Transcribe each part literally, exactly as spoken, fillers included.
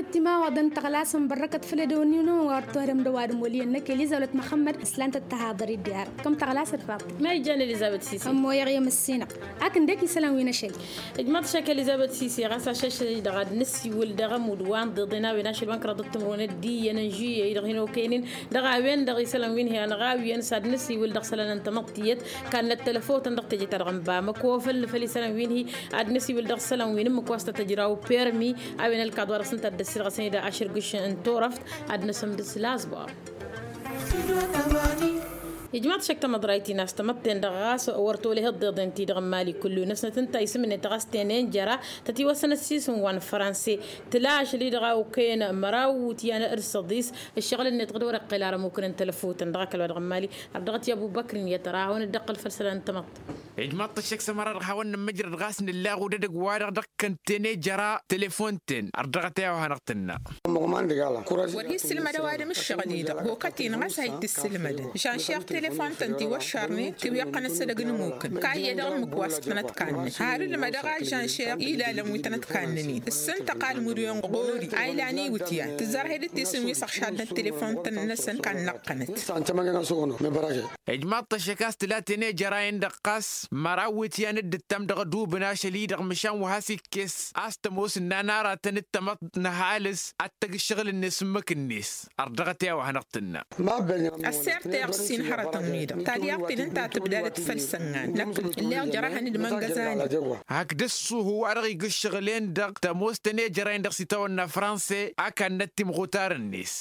Timawaḍăn tăɣlasăn bărrăkăt făll-edăwănnin-wăn wa ărtohărăm d-ăwadǝm wăl' iyyăn năkk elizabet măxămmăd s-lan-tăt tăhaḍăr-dd i-arăt kăm tăɣlasăt faḍt. Ma ijjan elizabet sisi. Ămmoyăɣ i-măssinăɣ ak ǝndek isălan wi n-ašăl. Ijmaḍ-t šak elizabet sisi ɣas ašăšăl-i-dăɣ ad-nǝsiwǝl dăɣ-ămudd wa n-iḍeḍen a-wen ašăl wa n-kăraḍăt timǝrwen d-iyyăn n-žuyyăy-dăɣ hin-okăynen. Dăɣ-a-wen-dăɣ isălan wi n-hi-anăɣ a-wen s-ad-nǝsiwǝl dăɣ-isălan n-tamăḍt tiyyăt. Kannăt telăfotăn dăɣ-teje-ta-dăɣ n-bamăko făll-făll isălan wi n-hi-ad-nǝsiwǝl dăɣ-isălan wi n-ǝmmǝk wa s-tăt-ăjraw permi. A-wen ălkaḍ wa dăɣ-săn tăt-dd-ăssirɣăsăn-dd ašărgǝš n-turăft. Ad-nǝsǝmdǝs lazbor. Ijmaḍ-t šăkk tamăḍrayt-in a-s tamăḍten-dăɣ ɣas wăr tolăh iḍeḍen-ti-dăɣ n-imali kullu-năsnăt ǝnta isǝm-net ɣas tenen jăra. Tătiwăssăn ăssiisǝm wa n-franse tǝla ašăl-i-dăɣ a okăyăn măraw iwǝtyan d-săḍis. Ǝššăɣǝl-net dăɣ-dd-wăr-iqqel arămukǝn n-telăfutăn dăɣ-akăl wa dăɣ-n mali. Ărdăɣăt i-ăbubăkr-in i-ad-tăra ad-hawăn-dd-iqqǝl făll-isălan n-tamăḍt. Ijmaḍ-t ăššăk s-ămăra-dăɣ hawăn-nǝmmǝjrăd ɣas nǝlla aɣudăd ăgg-wa-dăɣ dăɣ-kăn tene jăra telefon-ten ărdăɣăt i-a-wa hanăɣ-tǝnna. Wăr hi-issǝlmăd ăwadǝm ǝššăɣǝl-i-dăɣ hokăt-in ɣas a hi-t-issǝlmădăn žanšeɣ telefon-tăn tiwăššarnen tiwǝyyăɣ-tăn ăssădăg n-ǝmmukǝn. Kayyădăɣ ǝmmǝk wa s-tăn-ătkannăn har ǝlmădăɣ a žanšeɣ ilalăn wi tăn-ătkannăn-in ǝssǝntăɣ almǝdyon ɣur-i a ilan iwǝtyan tǝzzar hedǝt tisǝm wi s-ăɣšadnăt telefon-tăn-năsăn kannăɣ-tănăt. Ijmaḍ-t ăššăk a-s tǝla tenejăra-en-dăɣ ɣas măraw iwǝtyan d-ǝttam dăɣ-ădubǝn ašăl-i-dăɣ măšan wa has-ikkes a-s tămoos ǝnnan aratăn d-tamăḍt n-ăhalǝs ad-tăgg ǝššăɣǝl-net ǝmmǝk-net. Ărdăɣăt i-a-wa hanăɣ-tǝnna. Ăssirteɣ ǝssin hărătăn-wi-dăɣ talyaḍt-in ǝnta a tǝbdadăt făll-isănnan năkk ǝlleɣ jăr-ahăn d-imăngăzan. Hak dăɣ-s uhu wa dăɣ-ija ǝššăɣǝl-en-dăɣ tămoos tenejăra-en-dăɣ s-itawănna franse a kannăt timɣutar-net.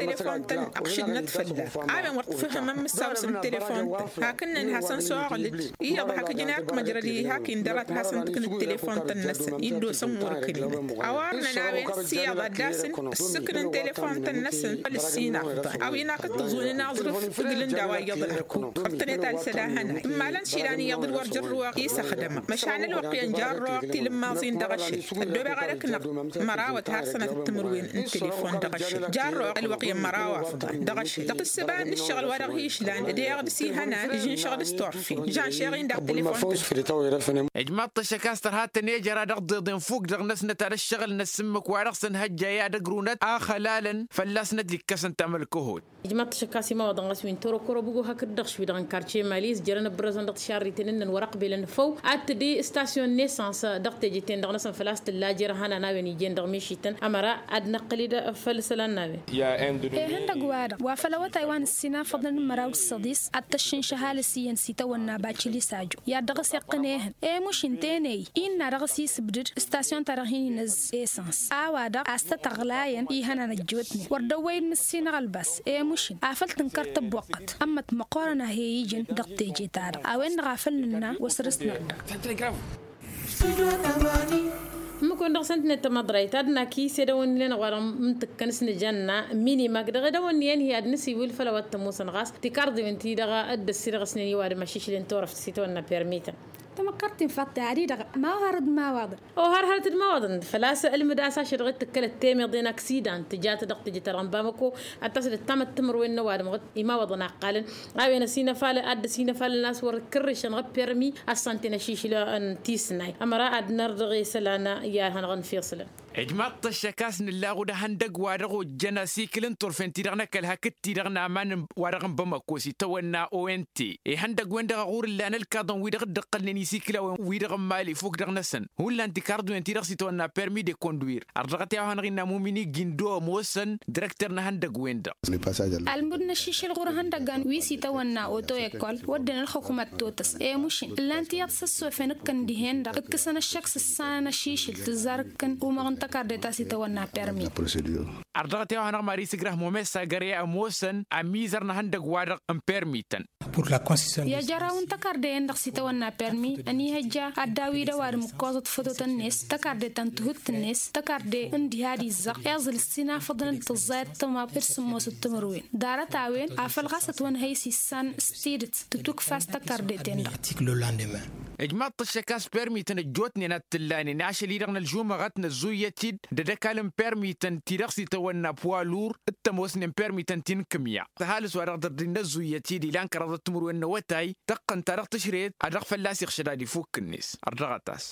Telefon-tăn ăɣšǝdnăt fălla-ɣ a-wen wăr t-fǝhhǝmăn mǝssaw s-n telefon-tăn hak ǝnnăn hasăn-soɣlǝd iyyăḍ hak ǝjǝn erk măjrăd-i hak indărat hasăn-tǝknǝd telefon-tăn-năsăn iddos ămmurkăn-in. Ăwarnăn a-wen s-iyyăḍ ad-dd-asǝn ǝssǝknǝn telefon-tăn-năsăn făll-ǝssin afḍan a-wen akǝttǝẓun n-aẓrǝf ǝglǝn d-a-wa iyyăḍ ălhăkuk wăr tăn-e-talsăd a hănan ǝmmalăn išilan iyyăḍ d-wăr jărrǝwăɣ isăxdămăɣ măšan ălwăqq iyyăn jarrăwăɣ tilǝmmaẓin dăɣ-ašăl ăddobeɣ ad-ăknăɣ mărawăt har sănăt d-timǝrwen n-telefon dăɣ-ašăl jarrăwăɣ ălwăqq iyyăn măraw afḍan dăɣ-ašăl dăɣ-tǝssǝba n-ǝššăɣǝl wa dăɣ-hi-išlan d-eɣ dăɣ-s ihănan ǝžǝnšăɣ d-s turfen žanšeɣ-in daɣ telefon. Ijmaḍ-t ăššăk a-s tărha tănejăra dăɣ-tiḍeḍen fuk dăɣ-năsnăt ad-ǝššăɣǝl-năsăn ǝmmǝk wa dăɣ-săn hăjja i-ad-ăgrunăt a ăxălalăn fălla-s n-ad-ikkăsăn tamălkăhot. Ijmaḍ-t ăššăk a-s imawăḍăn ɣas wi n-torokoro bǝgo hakd-dăɣ šwi-dăɣ n-karce mali s-jărăn ǝbrăzăn dăɣ-tišarriten ǝnnăn wăr-ăqbelăn făw ad-tǝdǝy stasyon n-esăns dăɣ-teje-ten-dăɣ-năsăn făl-a-s tǝlla jer-ihănan a-wen ijen dăɣ-mišităn ămăra ad-năqqǝl-dd făll-isălan n-a-wen. Ihăndăg-wa-dăɣ wa făll-awătay wa n-ǝssin afăḍăn n-măraw d-săḍis ad-t-ăššǝnš ăhalǝs iyyăn s-itawănna bacili sajo i-ad-dăɣ-s iqqǝn ehăn i-mušin tene-i innă dăɣ-s isǝbdǝd stasyon-ta-dăɣ hin-inăzz esăns a-wa-dăɣ a-s tăt-ăɣlayăn ihănan ăjjootnen wăr dăwwăy-dd mǝssinăɣ ălbas i-mušin afăl tǝnkăr tăbboqqăt ămmăt măqqoorăn a he-ijăn dăɣ-teje-ta-dăɣ a-wen-dăɣ a făl-nǝnna wăr săr-s nărdăɣ. Ǝmmǝk-wen-dăɣ s-ǝntǝnet tamăḍrayt ad-naki s-edăwănni-wen-dăɣ wa dăɣ-mǝntǝkkăn s-nǝjănna minimag dăɣ-edăwănni-wen-hi ad-nǝsiwǝl făll-a-wa t-ămoosăn ɣas tikarḍiwen-ti-dăɣ dd-ăssirɣăsnen i-ăwadǝm ašišǝl n-turăft s-itawănna permi-tăn. Tamăkkartin faḍt-i ad-i-dăɣ ma ohar d-imawaḍăn. Ohar hărăt d-imawaḍăn făl-a-s ǝlmǝd a-s ašăl dăɣ-t tǝkkălăt temeḍe n-aksidan tǝjat dăɣ-teje-ta-dăɣ n-bamăko ad-tasădăt tamăttǝmărwen n-ăwadǝm ɣǝd imawaḍăn a ǝqqalăn a-wen ăsinăfalăn ad-dd-ăsinăfalăn a-s wăr kǝrrǝšăn ɣǝd-permi ăssanten ašišǝl n-tisnay ămăra ad-nărdăɣ isălan i-ad-hanăɣ-nǝfeṣǝlăn. Ijmaḍ-t ăššăk a-s nǝllaɣ-dd ăhăndăgg wa dăɣ-ojjăn asikǝl n-turfen-ti-dăɣ n-ăkall hakd-ti-dăɣ n-aman wa dăɣ-n bamăko s-itawănna ont ihăndăgg-wen-dăɣ a ɣur-ǝllan ǝlkaḍăn-wi-dăɣ dd-ǝqqǝlnen isikǝlawăn-wi-dăɣ n-mali fuk dăɣ-năsăn hullan tikarḍiwen-ti-dăɣ s-itawănna permi d-ekondwir. Ărdăɣăt i-a-wa hanăɣ-innă mumini gindo ămoosăn dirăkter n-ehăndăgg-wen-dăɣ. Almud n-ašišǝl ɣur-ehăndăggan wi s-itawănna oto ekol wădden ălxukumăt totăs i-mušǝn ǝllan tiyyăḍ s-ăssofen ǝkkăn dihen-dăɣ ǝkkǝsăn ăššăk s-ǝssanăn ašišǝl tǝzzar ǝkkăn umăɣ n-tăkarde ta s-itawănna permi. Ărdăɣăt i-a-wa hanăɣ-mari s-ǝgrah momessa găre ămoosăn ămizăr n-ehăndăgg-wa-dăɣ n-permi-tăn. I-ajăraw n-tăkarde-en-dăɣ s-itawănna permi ănihăjja ad-dd-awǝy d-ăwadǝm ǝkkoẓăt fototăn-net tăkarde ta n-tihut-net tăkarde n-diha d-izzăɣ iẓǝl s-inafăḍăn d-tǝẓẓayăt tămaḍt d-sǝmmosăt timǝrwen ḍarăt-a-wen afăl ɣas ătwănhăy s-issan s-tidǝt tǝtukfa s-tăkarde-ten-dăɣ. Ǝjmaḍ-t ăššăk a-s permi-tăn ăjjootnen a t-ǝllanen ašăl-i-dăɣ n-ălžumăɣăt năzzuyyăt-dd d-ădăkal n-permi-tăn ti-dăɣ s-itawănna puwalur d-tămoosnen permi-tăn ti n-kǝmya. Tăhalǝs wa dăɣ-dăr-dd-innă ăzzuyyăt-dd ilan kăraḍăt timǝrwen n-awătay tăqqăn-ta-dăɣ tǝšrăyăt ad-dăɣ-fălla-s iɣšăd ad-ifuk-net. Ărdăɣăt-as.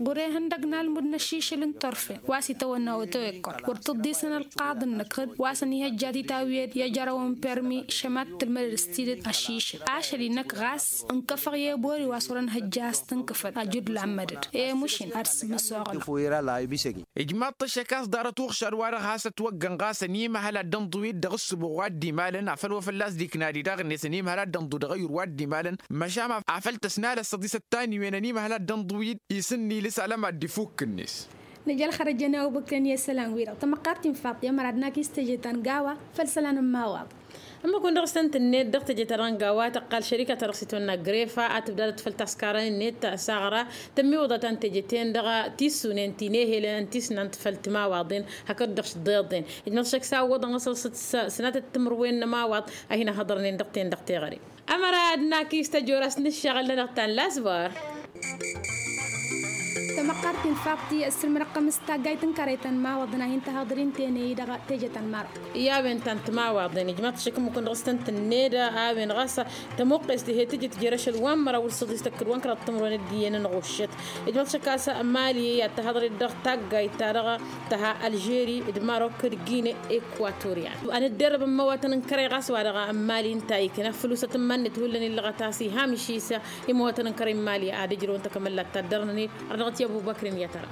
Ɣur-e ihăndăg n-almud n-ašišǝl n-turfen wa s-itawănna otăwekkăr wăr tǝḍḍisăn ălqaḍ-năk hăd wa săn ihăjja titawǝyed i-ajărăwăn permi šămat tǝlmădăd s-tidǝt ăšišǝl ašăl-i-năk ɣas ǝnkăfăɣ i-ebori wa s-wărăn hăjja a-s tǝnkǝfăd ajǝdlan mădăd i-mušǝn ad-sǝmmǝsoɣna. Ijmaḍ-t ăššăk a-s ḍarăt uɣšad-wa-dăɣ has-ătwăggăn ɣas ănimăhăl ad-dd-ănḍǝw-dd dăɣ-ǝssǝbuɣ wa dd-imalăn afăl wa fălla-s dd-ikna-di daɣ-net ănimăhăl ad-dd-ănḍǝw dăɣ-ăyyur wa dd-imalăn. Măšan afăl tăsnalăssăḍ isăttan iwen ănimăhăl ad-dd-ănḍǝw-dd isǝnni lǝsalăm ad-dd-ifukk-net. Nǝja ălxărăjăn i-awăbăkren i-isălan-wi-dăɣ tamăqqart-in faḍt i-ămăra ad-nak-istăje ta n-gawa făll-isălan n-imawaḍ. Ămmăkun dăɣ-s tăn-tǝnned dăɣ-teje-ta-dăɣ n-gawa tăqqal šărikăt-ta-dăɣ s-itwănna grefa ad-tǝbdadăt făll-taskarăn-net s-aɣra tămmiwǝḍăt ta n-teje-ten-dăɣ tissunen ti n-ehelăn ăntisnant făll-timawaḍen hakd-dăɣ s-dd-iḍen. Ijmăḍ šăkk s-a ǝwwăḍăn ɣas s-sănatăt timǝrwen n-ămawaḍ a hin-ăhhăḍărnen dăɣ-ten-dăɣ teɣăre. Ămăra ad-nak-istăjor a-s n-ǝššăɣǝl-nănăɣ ta n-lasbar. Tamăqqart-in faḍti ăssǝlmănăɣ-tăm s-taggayt n-kărăy ta n-imawaḍăn a hin-tăhăḍrin tene-i dăɣ-teje ta n-marok. I-a-wen ta n-timawaḍen ijmaḍ-t šăkk ǝmmǝkun dăɣ-s tăn-tǝnned a-wen ɣas tămuqqest ih'-e tǝjǝt jer-ašăl wa n-măraw wăr-săḍis tăkkǝd wa n-kăraḍ timǝrwen d-iyyăn ănɣuššăt. Ijmaḍ-t šăkk a-s mali i-ad-tăhăḍret dăɣ-taggayt-ta-dăɣ tăha ălžeri d-marok d-gine ekwatoryan. Anǝdderrăb n-imăwatăn n-kărăy ɣas wa dăɣ-mali ǝnta a ikna fălus atǝmman-net hullan illăɣăt a-s iha mǝšisa imăwatăn n-kărăy n-mali ad-ǝjrăwăn takămăllat ta dd-ărnănen. Ărdăɣăt i-ăbubăkr n-i-ad-tăra.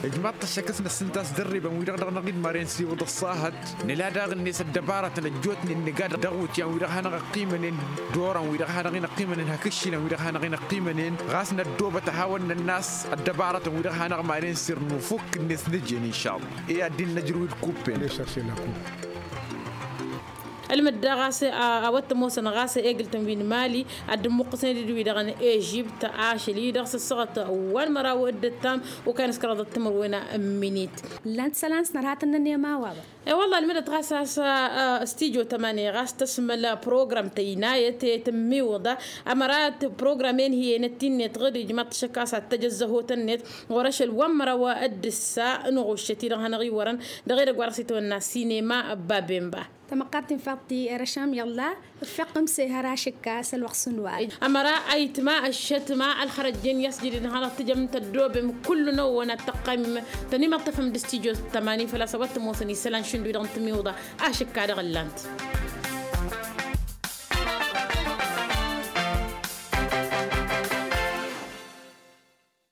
Ijmaḍ-t ăššăk a-s năssǝnta a-s dărribăn-wi-dăɣ dăɣ-năɣ-dd maren s-iwǝḍ ăṣṣahăt nǝla daɣ-net ăddăbarătăn ăjjootnen nǝga dăɣ-iwǝtyan-wi-dăɣ hanăɣ-ăqqimănen d-oran-wi-dăɣ hanăɣ-in-ăqqimănen hak ǝššilăn-wi-dăɣ hanăɣ-in-ăqqimănen ɣas năddoobăt a hawăn-nănn'-as ăddăbarătăn-wi-dăɣ hanăɣ-maren s-irnu fukk-net nǝjen inšalla. I-ad-dd-innă ǝjrǝw d-kuppen. Ălmǝdda ɣas a-wa t-ămoosăn ɣas egǝl-tăn wi n-mali ad-dd-ǝmmuqqǝsnen d-wi-dăɣ n-ežibt ašăl-i-dăɣ s-ăssaɣăt wa n-măraw d-ǝttam okăyăn s-kăraḍăt timǝrwen n-minit. Ǝllan-t isălan s-nărha tăn-nănema wa-wa. E-wălla ălmǝdăt ɣas a-s s-tijo tămani ɣas tăsmăl program tăynayăt i-tǝmmiwǝḍa ămăra program-en hi-enăt-in-net ɣǝd ijmaḍ-t šăkk a-s ad-tăj ăzzăhotăn-net ɣur-ašăl wa n-măraw d-ǝssa n-uɣuššăt-i-dăɣ hanăɣ-iwărăn dăɣ-edăgg wa dăɣ-s itwănna sinema. Babemba. Tamăqqart-in faḍt-i erăšam i-ălla. Ǝffeɣ-tăm s-ehăr ašǝkka s-ălwăqq s-unwar. Ămăra ayǝtma ăššătma ălxărăjjen i-asjǝdǝd hanăɣ-tǝjăm tăddoobem kullu n-ăwwăn ad-tăqqaymem tăn-imăṭṭăfăm d-stijo tămani făl-a-s a-wa t-ămoosăn isălan šund wi-dăɣ n-timiwḍa. Ašǝkka dăɣ-ǝllan-t.